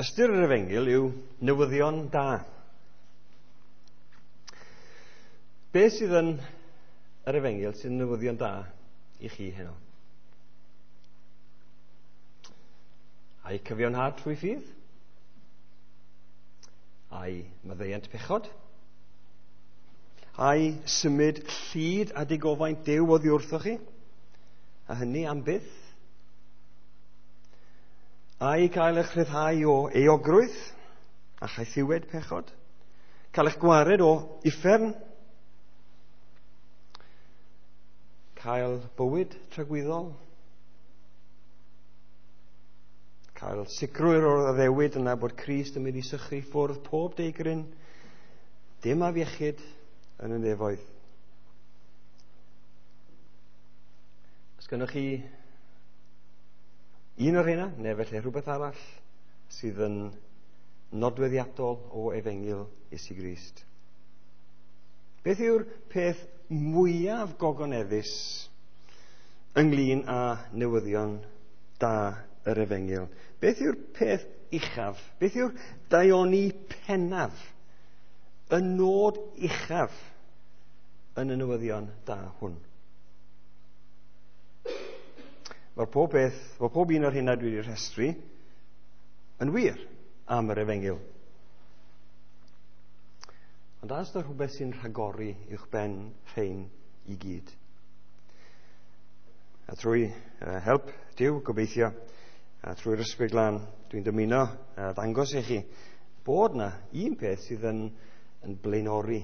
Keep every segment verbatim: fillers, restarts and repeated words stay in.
Ystyr yr efengyl yw newyddion da. Be sydd yn yr efengyl sy'n newyddion da i chi heno? Ai cyfiawnhad trwy ffydd? Ai maddeuant pechod? Ai symud llid a digofaint Duw oddi wrthoch chi? A hynny am byth? Ai cael eich rhyddhau o euogrwydd a chaethiwed pechod? Cael eich gwared o uffern? Cael bywyd tragwyddol? Cael sicrwydd o'r addewid yna bod Crist yn mynd i sychu ffwrdd pob deigryn, dim afiechyd yn y nefoedd. Os gynnoch chi un o'r rheina, neu felly rhywbeth arall sydd yn nodweddiadol o efengyl Iesu Grist. Beth yw'r peth mwyaf gogoneddus ynglyn â newyddion da yr efengyl? Beth yw'r peth uchaf? Beth yw'r daioni pennaf? Y nod uchaf yn y newyddion da hwn? Mae'r pob beth, mae pob un o'r hynna dwi wedi rhestru yn wir am yr efengyl. Ond oes 'na rhywbeth sy'n rhagori uwch ben rhein i gyd? A trwy uh, help Duw, gobeithio, a trwy'r Ysbryd Glân, dwi'n dymuno uh, ddangos i chi bod na un peth sydd yn, yn blaenori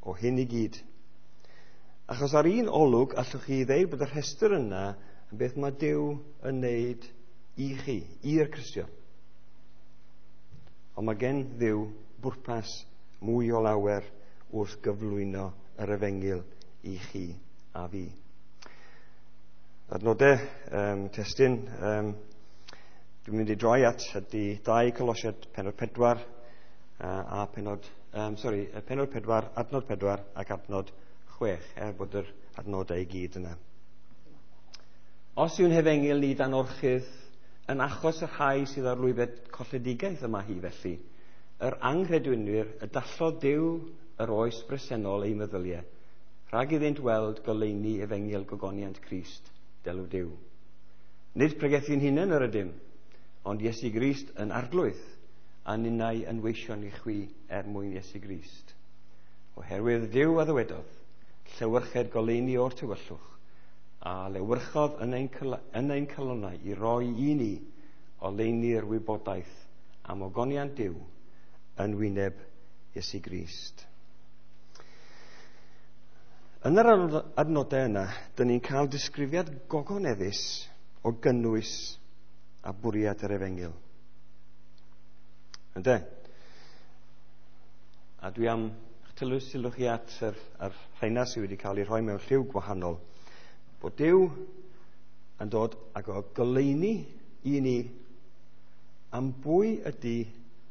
o hyn i gyd. Achos ar un olwg allwch chi ddeud bod y rhestr yna yn beth mae Duw yn neud i chi, i'r Cristion. Ond mae gen Dduw bwrpas mwy o lawer wrth gyflwyno yr efengyl i chi a fi. Adnodau um, testun, um, dwi'n mynd i droi at ydy dau Colosiaid pennod pedwar uh, a pennod, um, sorry, pennod pedwar, adnod pedwar ac adnod chwech, er bod yr adnodau i gyd yna. Os yw'n hefengyl ni dan orchudd yn achos y rhai sydd ar lwybr colledigaeth yma hi felly, yr anghredinwyr y dallodd Duw yr oes bresennol eu meddyliau, rhag iddynt weld goleuni efengyl gogoniant Crist, delw Duw. Nid pregethu'n hunain yr ydym, ond Iesu Grist yn arglwydd, a ninnau yn weision i chwi er mwyn Iesu Grist. Oherwydd Duw a ddywedodd, llewyrched goleuni o'r tywyllwch, a lewyrchodd yn ein, yn ein calonnau i roi i ni oleuni'r wybodaeth am ogoniant Duw yn wyneb Iesu Grist. Yn yr adnodau yna, dyn ni'n cael disgrifiad gogoneddus o gynnwys a bwriad yr efengyl. Ynde? A dwi am tylw sylwch chi at yr, yr rheina sydd wedi cael ei rhoi mewn lliw gwahanol. Bod Duw yn dod ag o goleuni i ni am bwy ydy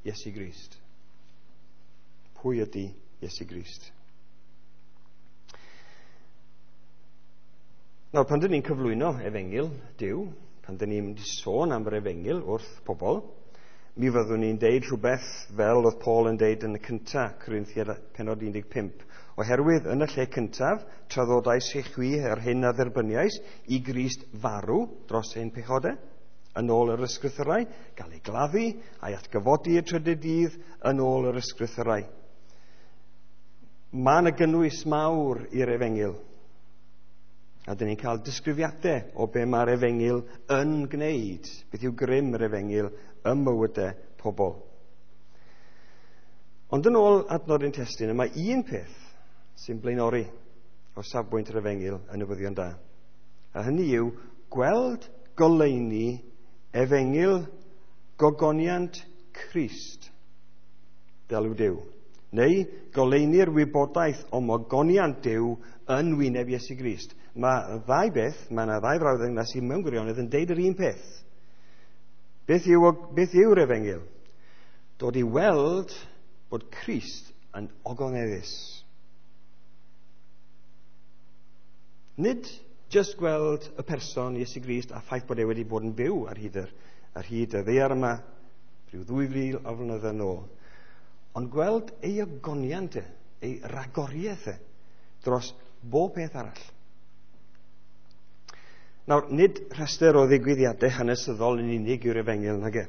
Iesu Grist. Pwy ydy Iesu Grist? Nawr, pan dyn ni'n cyflwyno efengyl Duw, pan dyn ni'n mynd i sôn am yr efengyl wrth pobl, mi fyddwn ni'n deud rhywbeth fel oedd Paul yn deud yn y cynta, Corinthiaid pennod un deg pump. Oherwydd yn y lle cyntaf, traddodais i chwi yr hyn a dderbyniais i Grist farw dros ein pechodau, yn ôl yr ysgrythyrau, gael ei gladdu a'i atgyfodi y trydydd dydd yn ôl yr ysgrythyrau. Mae yna gynnwys mawr i'r efengyl. A dyn ni'n cael disgrifiadau o be mae'r efengyl yn gwneud, beth yw grym yr efengyl ym mywydau pobl. Ond yn ôl adnod ein testun, mae un peth sy'n blaenori o safbwynt yr efengyl yn newyddion da. A hynny yw gweld goleuni efengyl gogoniant Crist, delw Duw, neu goleuni'r wybodaeth o ogoniant Duw yn wyneb Iesu Grist. Mae ddau beth, mae yna ddau frawddeg yna sy'n mewn gwirionedd yn deud yr un peth. Beth yw, beth yw'r efengyl? Dod i weld bod Crist yn ogoneddus. Nid just gweld y person Iesu Grist a ffaith bod e wedi bod yn byw ar hyd yr, ar hyd y ddaear yma rhyw ddwy fil o flynyddoedd yn ôl. Ond gweld ei ogoniant e, ei ragoriaeth e, dros bob peth arall. Nawr, nid rhestr o ddigwyddiadau hanesyddol yn unig yw'r efengyl nag e.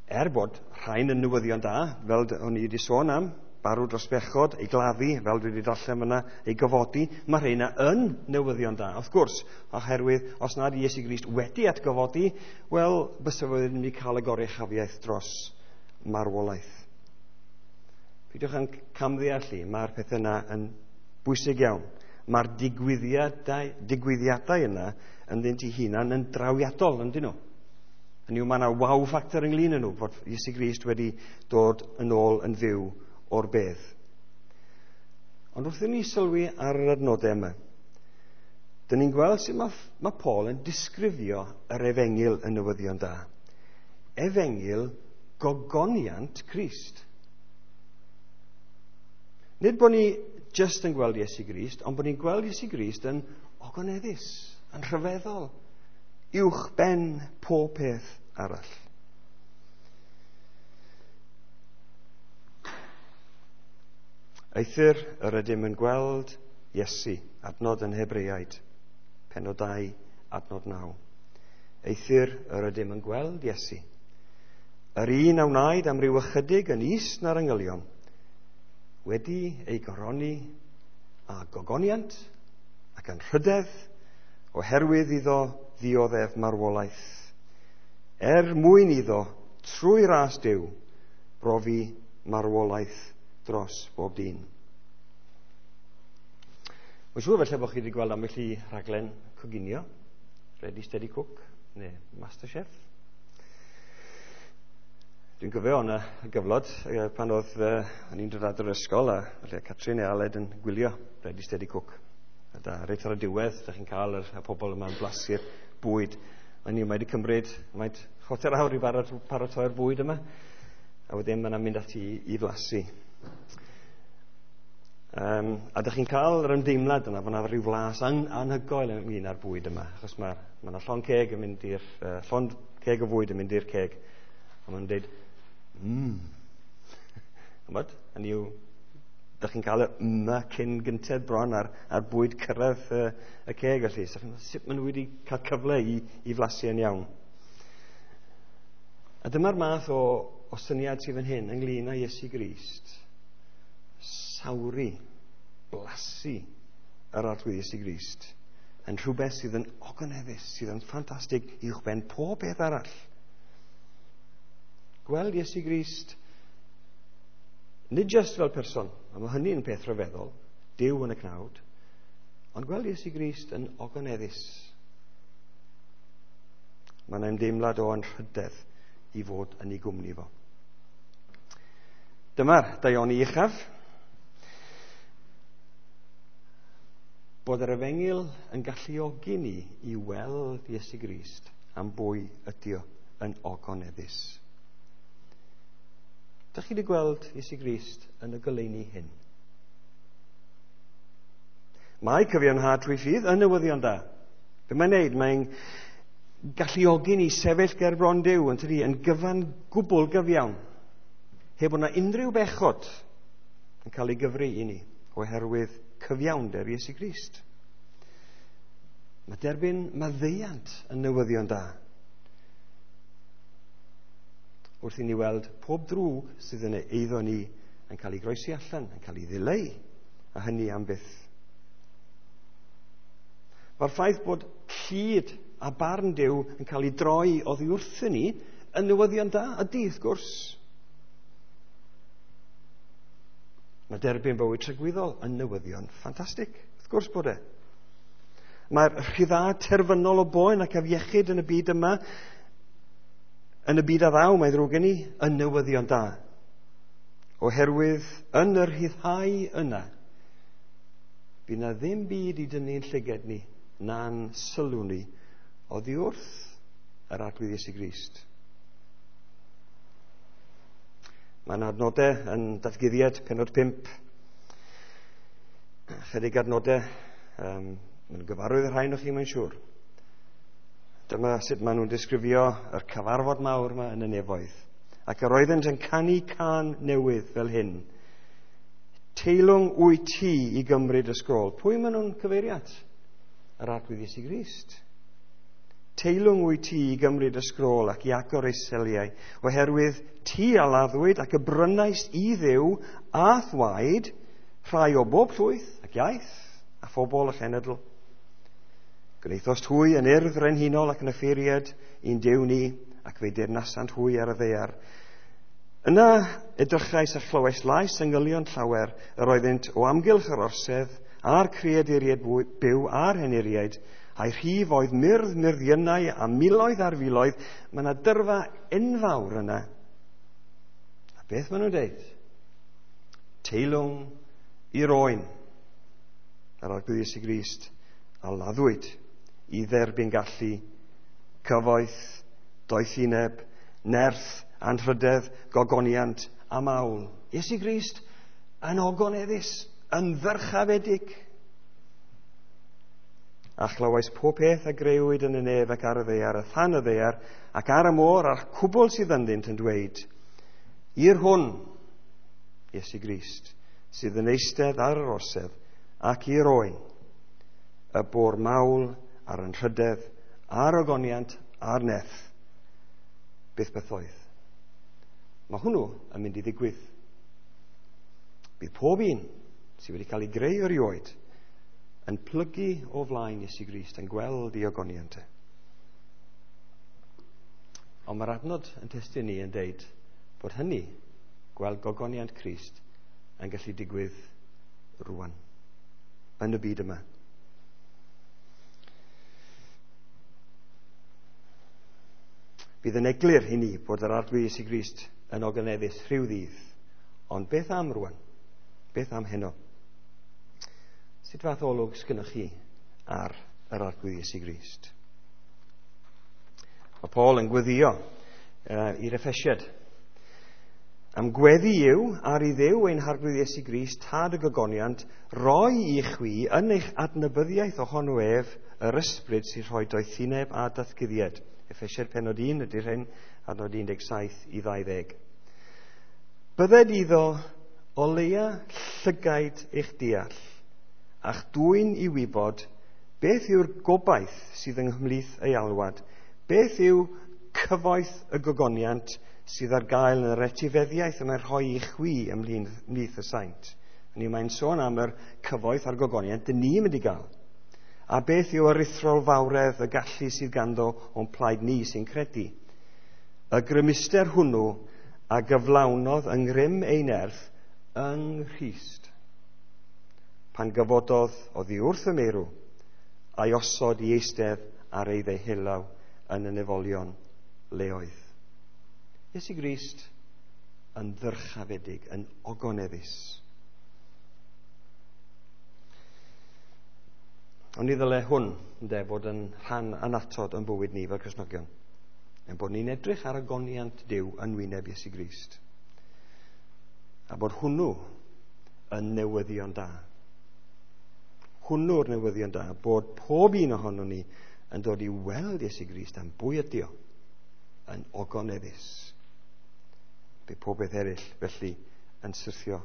Er bod rhain yn newyddion da, fel o'n i wedi sôn am, barw dros bechod, ei gladdu, fel dwi wedi darllen fyna, ei gofodi, mae rheina yn newyddion da, wrth gwrs, oherwydd os nad Iesu Grist wedi atgyfodi, wel, bysa fo ddim wedi cael y goruchafiaeth dros marwolaeth. Peidiwch yn camddeall i, mae'r pethau yna yn bwysig iawn. Mae'r digwyddiadau, digwyddiadau yna ynddynt eu hunan yn drawiadol, yndyn nhw. Hynny yw, mae yna wow factor ynglyn â nhw, fod Iesu Grist wedi dod yn ôl yn fyw o'r bedd. Ond wrth i ni sylwi ar yr adnodau yma, dyn ni'n gweld sut mae, mae Paul yn disgrifio yr efengyl yn newyddion da. Efengyl gogoniant Crist. Nid bod ni just yn gweld Iesu Grist, ond bod ni'n gweld Iesu Grist yn ogoneddus, yn rhyfeddol, uwch ben pob peth arall. Eithr yr ydym yn gweld Iesu, adnod yn Hebreaid, pennod dau, adnod naw. Eithr yr ydym yn gweld Iesu, yr un a wnaed am ryw ychydig yn is na'r angylion, wedi ei goroni â gogoniant ac anrhydedd, oherwydd iddo ddioddef marwolaeth, er mwyn iddo, trwy ras Duw, brofi marwolaeth dros bob dyn. Mae'n siŵr felly bod chi wedi gweld ambell i rhaglen coginio, Ready Steady Cook, neu MasterChef. Dwi'n cofio o'na gyfnod pan oedd uh, o'n i'n dod adre'r ysgol a felly Catrin neu Aled yn gwylio Ready Steady Cook. A da, reit ar y diwedd, da chi'n cael yr, y pobl yma'n blasu'r bwyd. O'n i wedi cymryd, mae'n chwarter awr i paratoi'r bwyd yma, a wedyn mae'n mynd ati i, i flasu. Um, a da chi'n cael yr ymdeimlad yna, bod yna rhyw flas an, anhygoel ynglyn â'r bwyd yma, achos mae ma yna llond ceg yn mynd i'r, uh, llond ceg o fwyd yn mynd i'r ceg, a ma'n dweud, mmm. Ch'mod, hynny yw, da chi'n cael y yma cyn gynted bron ar, ar bwyd cyrraedd y, y ceg felly. So, sut maen nhw wedi cael cyfle i, i flasu yn iawn. A dyma'r math o, o syniad sydd fan hyn ynglyn â Iesu Grist. Sawri, blasu yr Arglwydd Iesu Grist yn rhywbeth sydd yn ogoneddus, sydd yn ffantastig uwchben pob peth arall. Gweld Iesu Grist nid just fel person, a mae hynny'n peth rhyfeddol, Duw yn y cnawd, ond gweld Iesu Grist yn ogoneddus. Mae yna ymdeimlad o anrhydedd i fod yn ei gwmni fo. Dyma'r daioni uchaf. Bod yr efengyl yn galluogi ni i weld Iesu Grist am bwy ydi o yn ogoneddus. Dych chi wedi gweld Iesu Grist yn y goleuni hyn? Mae cyfiawnhad trwy ffydd yn newyddion da. Be mae'n neud? Mae'n galluogi ni sefyll ger bron Duw yn tydi, yn gyfan gwbl gyfiawn, heb bod 'na unrhyw bechod yn cael ei gyfri i ni oherwydd cyfiawnder Iesu Grist. Mae derbyn maddeuant yn newyddion da. Wrth i ni weld pob drwg sydd yn eiddo ni yn cael ei groesi allan, yn cael ei ddileu, a hynny am byth. Mae'r ffaith bod llid a barn Duw yn cael ei droi oddi wrthyn ni yn newyddion da, ydy, wrth gwrs. Mae derbyn bywyd tragwyddol yn newyddion ffantastig, wrth gwrs bod e. Mae'r rhyddhad terfynol o boen ac afiechyd yn y byd yma, yn y byd a ddaw, mae ddrwg gen i, yn newyddion da. Oherwydd yn yr rhyddhau yna, bydd na ddim byd i dynnu'n llyged ni, na'n sylw ni, oddi wrth yr Arglwydd Iesu Grist. Mae yna adnodau yn Datguddiad, pennod pump. Chydig adnodau, um, mae'n gyfarwydd y rhain o chi, mae'n siŵr. Dyma sut maen nhw'n disgrifio yr cyfarfod mawr yma yn y nefoedd. Ac yr oeddent yn canu cân newydd fel hyn. Teilwng wyt ti i gymryd y sgrôl. Pwy maen nhw'n cyfeirio at? Yr Arglwydd Iesu Grist. Teilwng wyt ti i gymryd y sgrôl ac i agor ei seliau, oherwydd ti a laddwyd ac y brynaist i Dduw a'th waed rhai o bob llwyth ac iaith a phobl a chenedl. Gwnaethost hwy yn urdd frenhinol ac yn offeiriad i'n Duw ni, ac fe deyrnasant hwy ar y ddaear. Yna edrychais a chlywais lais angylion llawer, yr oeddynt o amgylch yr orsedd, a'r creaduriaid byw a'r henuriaid, a'i rhif oedd myrdd myrddiynau a miloedd ar filoedd. Mae yna dyrfa enfawr yna. A beth maen nhw'n deud? Teilwng i'r oen, yr Arglwydd Iesu Grist, a laddwyd i dderbyn gallu, cyfoeth, doethineb, nerth, anrhydedd, gogoniant a mawl. Iesu Grist yn ogoneddus, yn ddyrchafedig. A chlywais pob peth a greuwyd yn y nef ac ar y ddaear, a than y ddaear, ac ar y môr, a'r cwbl sydd ynddynt yn dweud, i'r hwn, Iesu Grist, sydd yn eistedd ar yr orsedd, ac i'r oen, y bo'r mawl a'r anrhydedd, a'r ogoniant, a'r nerth, byth bythoedd. Mae hwnnw yn mynd i ddigwydd. Bydd pob un sydd wedi cael ei greu erioed yn plygu o flaen Iesu Grist, yn gweld ei ogoniant e. Ond mae'r adnod yn testun ni yn deud bod hynny, gweld gogoniant Crist, yn gallu digwydd rwan, yn y byd yma. Bydd yn eglur i ni bod yr Arglwydd Iesu Grist yn ogoneddus rhyw ddydd. Ond beth am rwan? Beth am heno? Sut fath olwg sgynnoch chi ar yr Arglwydd Iesu Grist? Mae Paul yn gweddio uh, i'r Effesiad. Am gweddi yw ar i Dduw ein Harglwydd Iesu Grist, Tad y gogoniant, roi i chwi yn eich adnabyddiaeth ohono ef yr ysbryd sy'n rhoi doethineb a datguddiad. Effesiad penod un ydy'r hyn, adnod un deg saith i ddau ddeg. Bydded iddo o leia llygaid eich deall, a'ch dwyn i wybod beth yw'r gobaith sydd yng nghlith ei alwad, beth yw cyfoeth y gogoniant sydd ar gael yn yr etifeddiaeth y mae'n rhoi i chwi ymhlith y saint. Hynny mae'n sôn am yr cyfoeth a'r gogoniant dyn ni'n mynd i gael. A beth yw aruthrol fawredd y gallu sydd ganddo o'n plaid ni sy'n credu. Y grymuster hwnnw a gyflawnodd yng ngrym ei nerth yng Nghrist, pan gyfododd oddi wrth y meirw, a'i osod i eistedd ar ei ddeheulaw yn y nefolion leoedd. Iesu Grist yn ddyrchafedig, yn ogoneddus. Ond ni ddyle hwn, ynde, fod yn rhan annatod yn bywyd ni fel Cristnogion. Ein bod ni'n edrych ar ogoniant Duw yn wyneb Iesu Grist. A bod hwnnw yn newyddion da. Hwnnw'r newyddion da, bod pob un ohonon ni yn dod i weld Iesu Grist am bwy ydi o, yn ogoneddus. Bydd pob beth eraill felly yn syrthio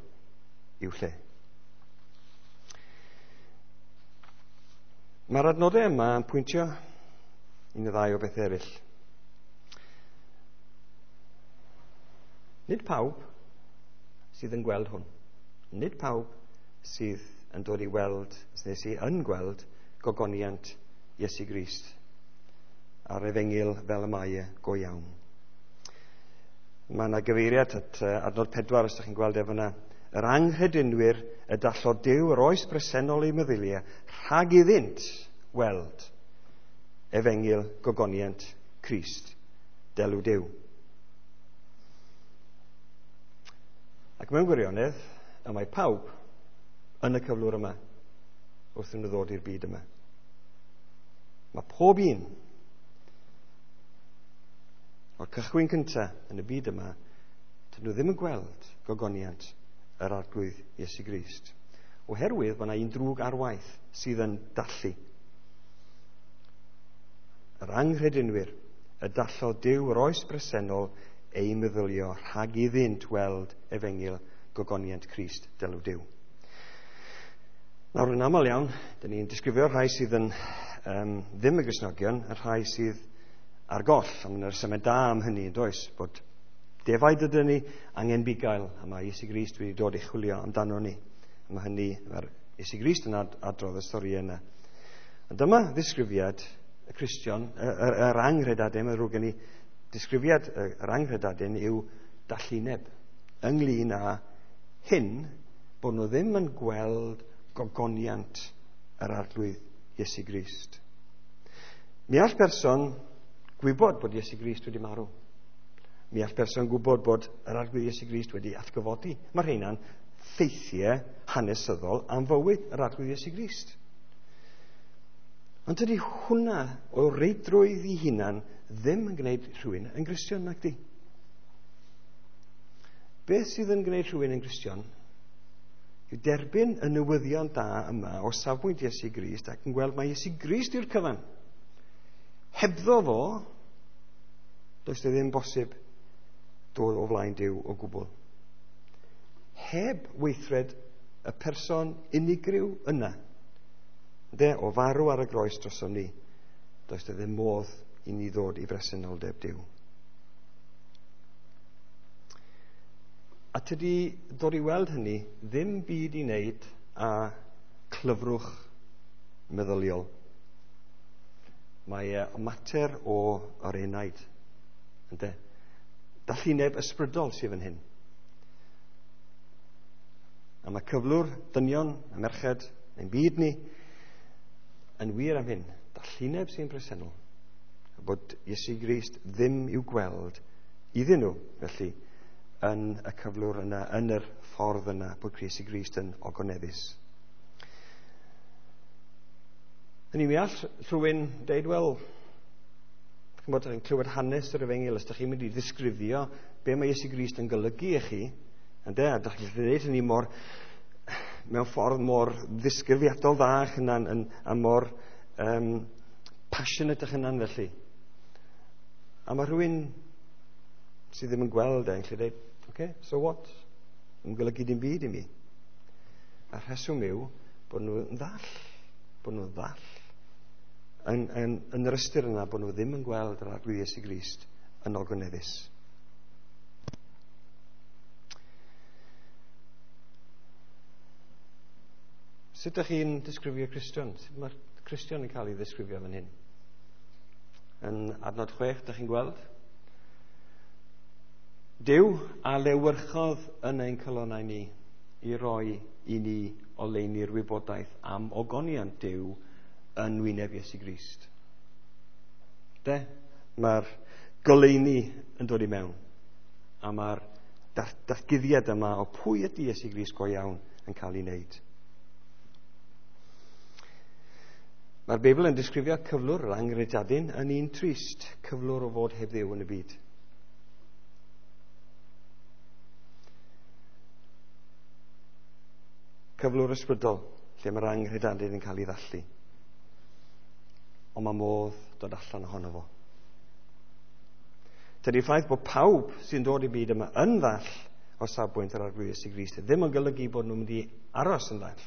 i'w lle. Mae'r adnodau yma yn pwyntio un neu ddau o beth eraill. Nid pawb sydd yn gweld hwn. Nid pawb sydd yn dod i weld, neu sydd yn gweld gogoniant Iesu Grist a'r efengyl fel y mae e go iawn. Mae yna gyfeiriad at adnod pedwar, os ydych chi'n gweld efo yna. Yr anghredinwyr y dallodd Duw yr oes bresennol eu meddyliau rhag iddynt weld efengyl gogoniant Crist, delw Duw. Ac mewn gwirionedd, y mae pawb yn y cyflwr yma wrth nhw ddod i'r byd yma. Mae pob un o'r cychwyn cyntaf yn y byd yma, dyn nhw ddim yn gweld gogoniant yr Arglwydd Iesu Grist. Oherwydd bod yna un drwg ar waith sydd yn dallu. yr anghredinwyr, y dallodd Duw yr oes bresennol ei meddylio rhag iddynt weld efengyl gogoniant Crist delw Duw. Nawr, yn aml iawn, dyn ni'n disgrifio'r rhai sydd yn um, ddim y Gristnogion, y rhai sydd ar goll, a mae'n rhesymau da am hynny, yn does, bod defaid ydyn ni angen bugail, a mae Iesu Grist wedi dod i chwilio amdano ni. A mae hynny, mae'r Iesu Grist yn ad adrodd y stori yna. Ond dyma ddisgrifiad y Cristion, yr, yr anghredadun, mae'n ddrwg gen i, disgrifiad yr anghredadun yw dallineb ynglyn â hyn, bod nhw ddim yn gweld gogoniant yr Arglwydd Iesu Grist. Mi all person gwybod bod Iesu Grist wedi marw. Mi all person gwybod bod yr Arglwydd Iesu Grist wedi atgyfodi. Mae rheina'n ffeithiau hanesyddol am fywyd yr Arglwydd Iesu Grist. Ond dydy hwnna o reidrwydd i hunan ddim yn gwneud rhywun yn Gristion, nac di. Beth sydd yn gwneud rhywun yn Gristion yw derbyn y newyddion da yma o safbwynt Iesu Grist ac yn gweld mai Iesu Grist yw'r cyfan. Hebddo fo, does e ddim bosib dod o flaen Duw o gwbl. Heb weithred y person unigryw yna, de, o farw ar y groes droson ni, does e ddim modd i ni ddod i bresenoldeb Duw. A tydi dod i weld hynny ddim byd i wneud â clyfrwch meddyliol. Mae e mater o yr enaid, ynde? Dallineb ysbrydol sydd fan hyn. A mae cyflwr dynion a merched ein byd ni yn wir am hyn. Dallineb sy'n bresennol. A bod Iesu Grist ddim i'w gweld iddyn nhw, felly, yn y cyflwr yna, yn yr ffordd yna, bod Iesu Grist yn ogoneddus. Hynny, mi all rhywun deud, wel, ch'mod, chi'n clywed hanes yr efengyl, os ydych chi'n mynd i ddisgrifio be mae Iesu Grist yn golygu i chi, ynde, a ydych chi'n dweud hynny mor, mewn ffordd mor ddisgrifiadol dda eich hunan, yn, a mor um, passionate eich hunan felly. A mae rhywun sydd ddim yn gweld e, yn gallu dweud, okay, so what? Yn golygu dim byd i mi. A rheswm yw bod nhw'n ddall, bod nhw'n ddall. Yn, yn, yn yr ystyr yna bod nhw ddim yn gweld yr Arglwydd Iesu Grist yn ogoneddus. Sut ydych chi'n disgrifio Cristion? Sut mae'r Cristion yn cael ei ddisgrifio fan hyn? Yn adnod chwech, ydych chi'n gweld? Duw a lewyrchodd yn ein calonnau ni i roi i ni oleuni'r wybodaeth am ogoniant Duw yn wyneb Iesu Grist. De, mae'r goleuni yn dod i mewn, a mae'r datguddiad yma o pwy ydy Iesu Grist go iawn yn cael ei wneud. Mae'r Beibl yn disgrifio cyflwr yr anghredadun yn un trist, cyflwr o fod heb Dduw yn y byd. Cyflwr ysbrydol, lle mae'r anghredadun yn cael ei ddallu. Ond mae modd dod allan ohono fo. Tydi'r ffaith bod pawb sy'n dod i byd yma yn ddall o safbwynt yr Arglwydd Iesu Grist ddim yn golygu bod nhw'n mynd i aros yn ddall.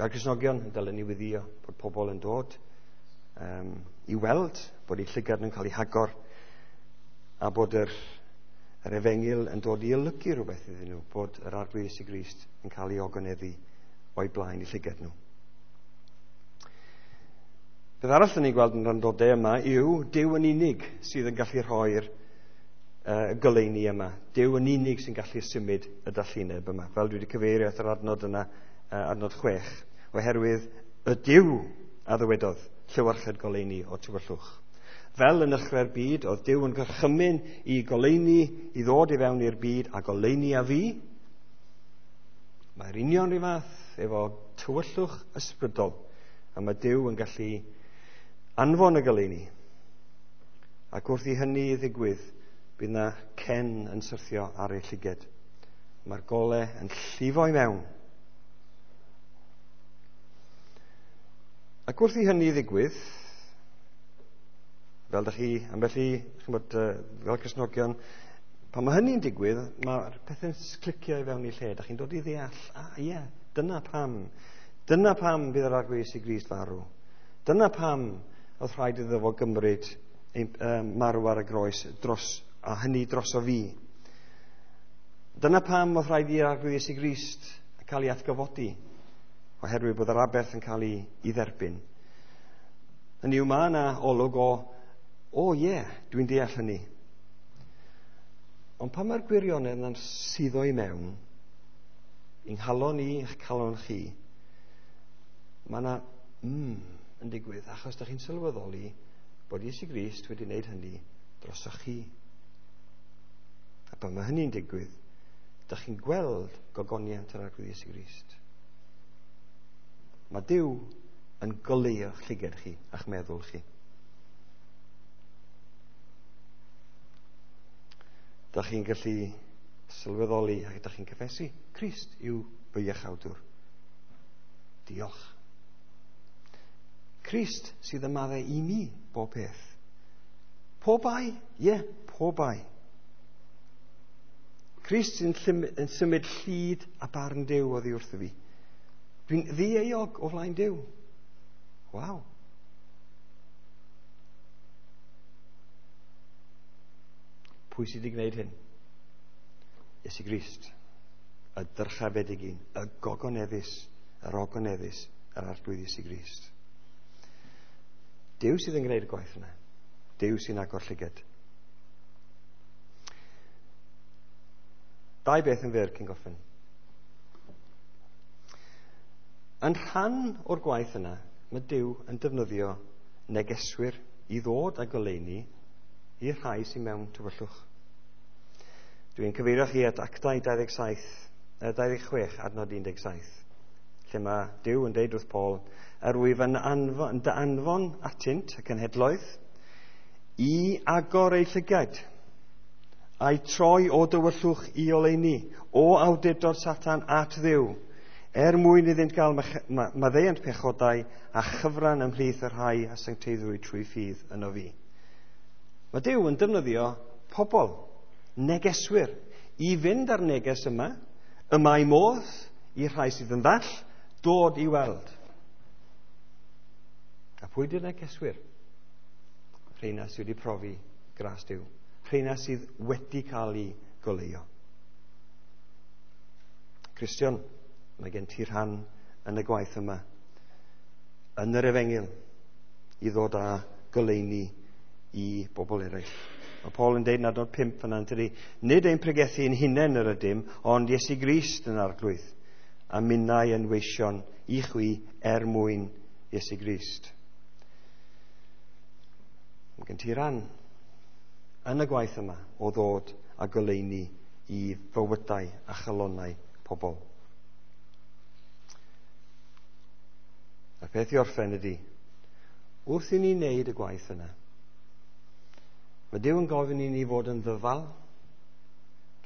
Fel Cristnogion, dylen ni wyddio bod pobl yn dod um, i weld bod eu llygad nhw'n cael ei hagor a bod yr, yr efengyl yn dod i olygu rhywbeth iddyn nhw, bod yr Arglwydd Iesu Grist yn cael ei ogoneddu o'i blaen i llygad nhw. Beth arall dyn ni'n gweld yn randodau yma yw Duw yn unig sydd yn gallu rhoi'r uh, goleuni yma. Duw yn unig sy'n gallu symud y dallineb yma. Fel dwi wedi cyfeirio at yr adnod yna, uh, adnod chwech, oherwydd y Duw a ddywedodd llewyrched goleuni o tywyllwch. Fel yn nechrau'r byd, oedd Duw yn gorchymyn i goleuni i ddod i fewn i'r byd a goleuni a fi. Mae'r union rhyw fath efo tywyllwch ysbrydol, a mae Duw yn gallu anfon y goleuni. Ac wrth i hynny ddigwydd, bydd na cen yn syrthio ar ei llyged. Mae'r gole yn llifo i mewn. Ac wrth i hynny ddigwydd, fel ydych chi, ambell i, ch'mod, fel Cristnogion, pan mae hynny'n digwydd, mae'r pethau'n clicio i fewn i lle. Dych chi'n dod i ddeall, ah ie, yeah, dyna pam. Dyna pam bydd yr Arglwydd Iesu Grist farw. Dyna pam oedd rhaid iddo fo gymryd ein, um, marw ar y groes, dros, a hynny droso fi. Dyna pam oedd rhaid i'r Arglwydd Iesu Grist cael ei atgyfodi, oherwydd bod yr aberth yn cael ei, ei dderbyn. Hynny yw, mae yna olwg o, o ie, yeah, dwi'n deall hynny. Ond pan mae'r gwirionedd yna'n suddo i mewn, i'n nghalon i, i'ch calon chi, mae yna mm yn digwydd, achos da chi'n sylweddoli bod Iesu Grist wedi wneud hynny drosoch chi. A pan mae hynny'n digwydd, da chi'n gweld gogoniant yr Arglwydd Iesu Grist. Mae Duw yn goleuo'ch llygad chi a'ch meddwl chi. Da chi'n gallu sylweddoli ac da chi'n cyffesu, Crist yw fy iachawdwr. Diolch. Crist sydd yn maddau i mi bob peth. Pob bai? Ie, yeah, pob bai. Crist sy'n yn symud llid a barn Duw oddi wrtho fi. Dwi'n ddieuog o flaen Duw. Waw. Pwy sydd wedi gwneud hyn? Iesu Grist, y dyrchafedig un, y gogoneddus, yr ogoneddus, yr Arglwydd Iesu Grist. Duw sydd yn gwneud y gwaith yna. Duw sy'n agor llygad. Dau beth yn fyr cyn gorffen. Yn rhan o'r gwaith yna, mae Duw yn defnyddio negeswyr i ddod â goleuni i'r rhai sy'n mewn tywyllwch. Dwi'n cyfeirio chi at Actau dau ddeg saith, dau ddeg chwech, adnod un deg saith, lle mae Duw yn deud wrth Paul, yr wyf yn anfon, dy anfon atynt y cenhedloedd i agor eu llygaid, a'i troi o dywyllwch i oleuni, o awdurdod Satan at Dduw, er mwyn iddynt gael maddeuant pechodau a chyfran ymhlith y rhai a sancteiddwyd trwy ffydd yno fi. Mae Duw yn defnyddio pobl, negeswyr, i fynd ar neges yma, y mae modd i'r rhai sydd yn ddall dod i weld. A pwy di'r negeswyr? Rheina sydd wedi profi gras Duw. Rheina sydd wedi cael ei goleuo. Cristion, mae gen ti rhan yn y gwaith yma, yn yr efengyl, i ddod â goleuni i bobl eraill. Mae Paul yn deud yn adnod pump yna, tydi, nid ein pregethu ein hunain yr ydym, ond Iesu Grist yn Arglwydd, a minnau yn weision i chwi er mwyn Iesu Grist. Mae gen ti ran yn y gwaith yma o ddod â goleuni i fywydau a chalonnau pobl. A'r peth i orffen ydy, wrth i ni wneud y gwaith yna, mae Duw yn gofyn i ni fod yn ddyfal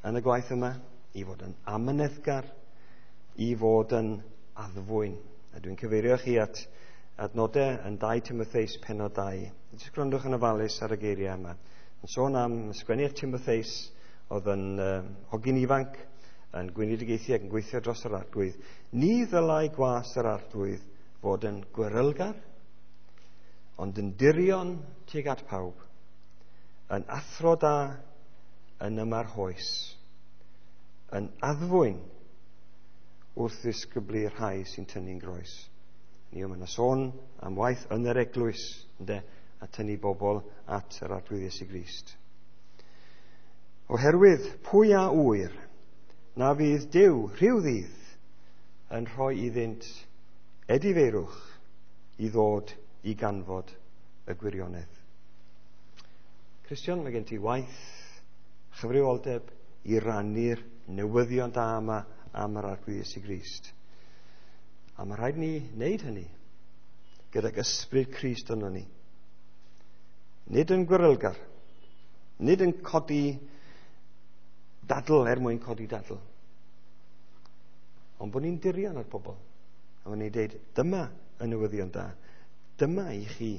yn y gwaith yma, i fod yn amyneddgar, i fod yn addfwyn. A dwi'n cyfeirio chi at adnodau yn dau Timotheus pennod dau. Jyst gwrandwch yn ofalus ar y geiriau yma. Yn sôn am sgwennu at Timotheus, oedd yn uh, hogyn ifanc, yn gweinidogaethu ac yn gweithio dros yr Arglwydd. Ni ddylai gwas yr Arglwydd fod yn gwrylgar, ond yn dirion tuag at pawb, yn athro da, yn ymarhoes, yn addfwyn wrth ddisgyblu rhai sy'n tynnu'n groes. Ni yma yna sôn am waith yn yr eglwys, ynde, a tynnu bobl at yr Arglwydd Iesu Grist. Oherwydd pwy a ŵyr na fydd Duw rhyw ddydd yn rhoi iddynt edifeirwch i ddod i ganfod y gwirionedd. Cristion, mae gen ti waith, chyfrifoldeb i rannu'r newyddion da yma am yr Arglwydd Iesu Grist. A mae rhaid ni wneud hynny gydag ysbryd Crist yno ni. Nid yn gwrylgar, nid yn codi dadl er mwyn codi dadl, ond bod ni'n dirion ar pobl. A bod ni'n deud, dyma y newyddion da. Dyma i chi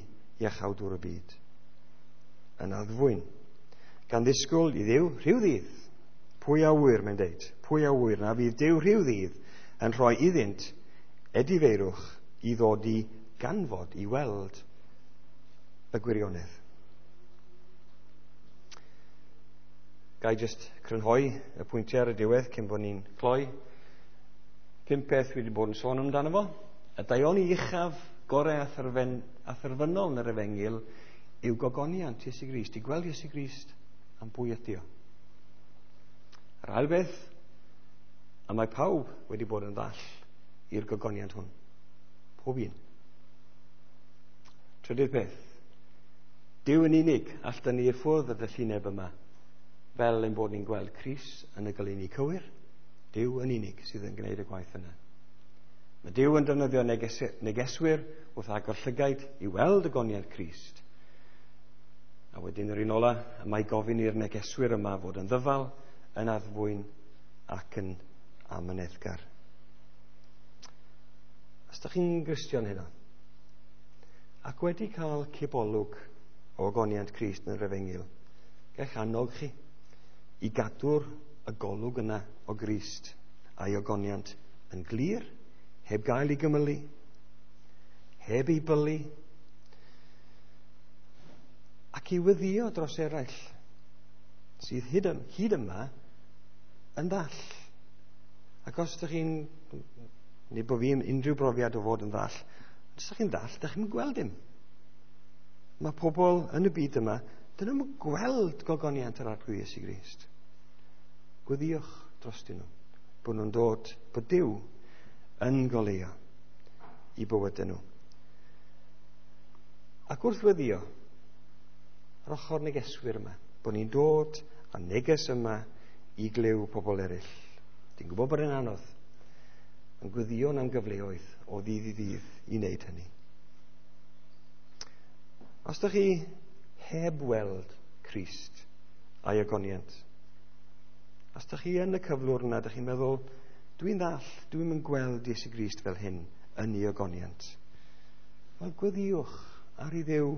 iachawdwr y byd. Yn addfwyn, gan ddisgwyl i Dduw rhyw ddydd. Pwy a ŵyr, mae'n deud, pwy a ŵyr na fydd Duw rhyw ddydd yn rhoi iddynt edifeirwch i ddod i ganfod, i weld y gwirionedd. Ga i jyst crynhoi y pwyntiau ar y diwedd cyn bod ni'n cloi. Pum peth dwi wedi bod yn sôn amdano fo. Y daioni uchaf, gorau a, thyrfen, a thyrfynol yn yr efengyl yw gogoniant Iesu Grist, i gweld Iesu Grist am bwy ydi o. Yr ail beth, a mae pawb wedi bod yn ddall i'r gogoniant hwn. Pob un. Trydydd peth, Duw yn unig all dynnu i ffwrdd y dyllineb yma, fel ein bod ni'n gweld Crist yn y goleuni cywir. Duw yn unig sydd yn gwneud y gwaith yna. Mae Duw yn defnyddio neges negeswyr wrth agor llygaid i weld y goniad Crist. A wedyn yr un ola, mae gofyn i'r negeswyr yma fod yn ddyfal, yn addfwyn ac yn amyneddgar. Os ydych chi'n Gristion heno, ac wedi cael cipolwg o ogoniant Crist yn yr efengyl, gallech annog chi i gadw'r y golwg yna o Grist a'i ogoniant yn glir, heb gael ei gymylu, heb ei bylu, ac i weddïo dros eraill sydd hyd, hyd yma yn ddall. Ac os ydych chi'n, nid bod fi unrhyw brofiad o fod yn ddall, os ydych chi'n ddall, ydych chi'n gweld dim. Mae pobl yn y byd yma, dyn nhw'n gweld gogoniant yr Arglwydd Iesu Grist. Gweddïwch drostyn nhw, bod nhw'n dod, bod Duw yn goleuo i bywydau nhw. Ac wrth weddïo, yr ochr negeswyr yma, bod ni'n dod â neges yma i glyw pobl eraill. Dwi'n gwybod bod yn anodd, yn gweddïo am gyfleoedd o ddydd i ddydd i wneud hynny. Os ydych chi heb weld Crist a'i ogoniant, os ydych chi yn y cyflwr yna, ydych chi'n meddwl, dwi'n ddall, dwi'n mynd gweld Iesu Grist fel hyn yn ei ogoniant. Wel, gweddïwch ar i Dduw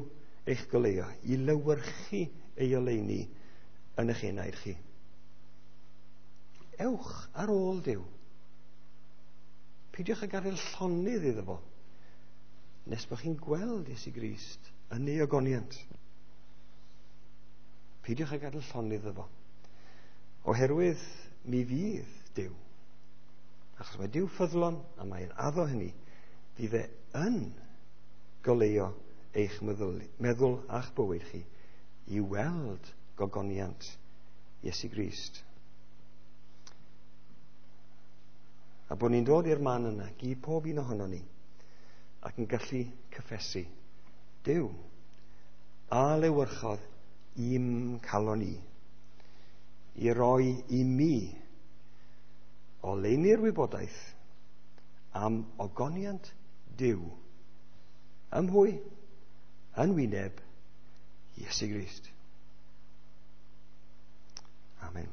eich goleuo, i lewyrchu ei oleuni yn eich enaid chi. Ewch ar ôl Duw. Peidiwch â gadael llonydd iddo fo, nes bod chi'n gweld Iesu Grist yn ei ogoniant. Peidiwch â gadael llonydd iddo fo, oherwydd mi fydd Duw, achos mae Duw ffyddlon a mae'n addo hynny, fydd e yn goleuo eich meddwl, meddwl a'ch bywyd chi i weld gogoniant Iesu Grist. A bod ni'n dod i'r man yna, gyd pob un ohono ni, ac yn gallu cyffesu, Duw a lewyrchodd i'm calon i, i roi i mi oleuni'r wybodaeth am ogoniant Duw ym mhwy? Yn wyneb Iesu Grist. Amen.